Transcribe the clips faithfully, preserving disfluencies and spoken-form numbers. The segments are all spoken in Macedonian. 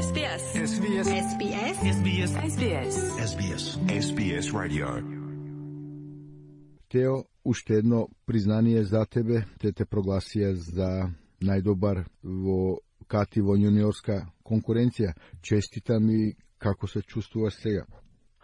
S B S. S B S. S B S. S B S. S B S. S B S. S B S Radio. Тео, уште едно признание за тебе, те те прогласија за најдобар во кати во јуниорска конкуренција. Честитам и како се чувствуваш сега?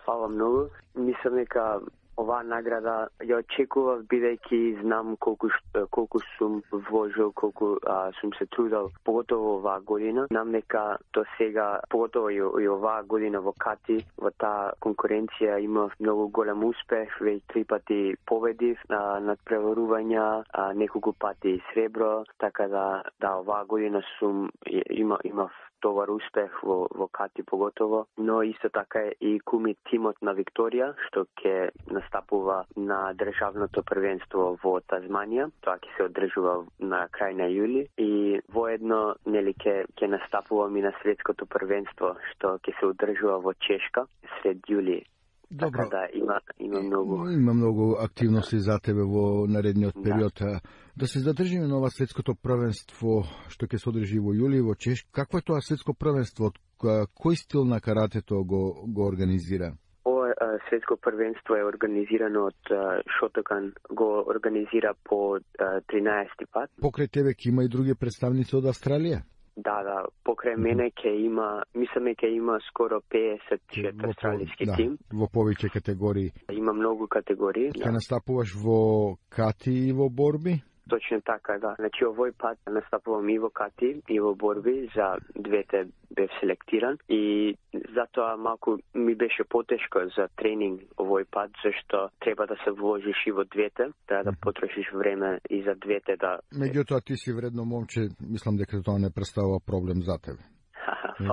Фала многу. Мислам дека оваа награда ја очекував, бидејќи знам колку колку сум вложил, колку а, сум се трудел, поготово оваа година. Знам дека до сега, поготово и, и оваа година во кати, во таа конкуренција имав многу голем успех, веќе три пати победив а, над преварувања, а, неколку пати сребро, така да да оваа година сум има имав добар успех во, во кати поготово, но исто така и куми тимот на Викторија, што ќе настапува на државното првенство во Тазманија. Тоа ќе се одржува на крај на јули и воедно нели ќе ќе настапуваме на светското првенство што ќе се одржува во Чешка сред јули. Добро. Така да има има многу Има многу активности за тебе во наредниот период. Да, да се задржиме на ова светското првенство што ќе се одржи во јули во Чешка. Какво е тоа светско првенство? Кој стил на каратето го го организира? Ова светско првенство е организирано од Шотокан, го организира по тринаесети пат. Покрај тебе ќе има и други представници од Австралија? Да, да, покрај мене ќе има, мисламе ќе има скоро педесет австралиски да, тим. Во повеќе категории. Има многу категории. Ќе да. настапуваш во кати и во борби? Точно така, да. Значи овој пат настапувам и во кати и во борби, за двете бев селектиран и затоа малку ми беше потешко за тренинг овој пат, зашто треба да се вложиш и во двете, треба да потрошиш време и за двете да... Меѓутоа ти си вредно момче, мислам дека тоа не представува проблем за тебе.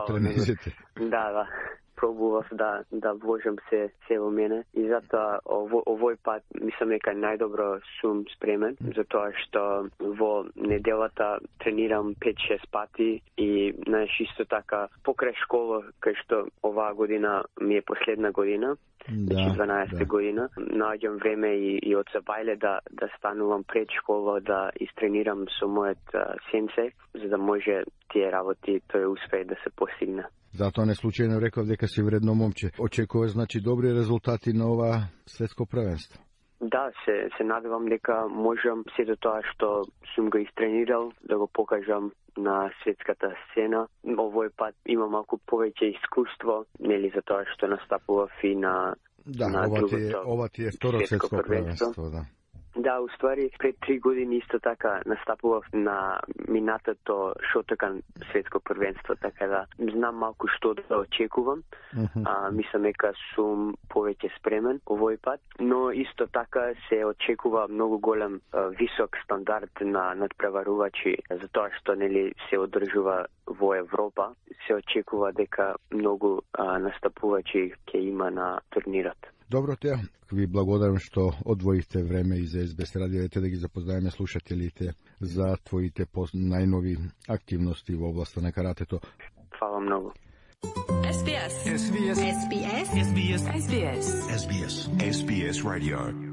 Тренизите. Да, да. Пробував да да вложам се се во мене и затоа ово, овој пат мислам дека најдобро сум спремен, затоа што во неделата тренирам пет-шест пати и знаеш исто така покрај школа, кај што оваа година ми е последна година, да, дванаесета да. година, наоѓам време и, и од Забајле да да станувам пред школа, да истренирам со мојот сенсеј, за да може тие работи тој успех да се постигне. Затоа не случајно реков дека си вредно момче. Очекуваш значи добри резултати на ова светско првенство? Да, се се надевам дека можам сето тоа што сум го истренирал да го покажам на светската сцена. Овој пат имам малку повеќе искуство, нели за тоа што настапував и на да, на ова ти е, другото ова ти е второ светско првенство, да. Да, уствари, пред три години исто така настапував на минатото Шотокан светско првенство, така да знам малку што да очекувам. Uh -huh. а, мислам дека сум повеќе спремен овој пат, но исто така се очекува многу голем а, висок стандард на надпреварувачи, затоа што нели се одржува во Европа, се очекува дека многу а, настапувачи ќе има на турнирот. Добро, Тео. Ви благодарам што одвоивте време и за Ес Би Ес радио, да ги запознаеме слушателите за твоите најнови активности во областа на каратето. Фала многу. S B S. S B S. S B S. S B S. S B S. S B S. S B S Radio.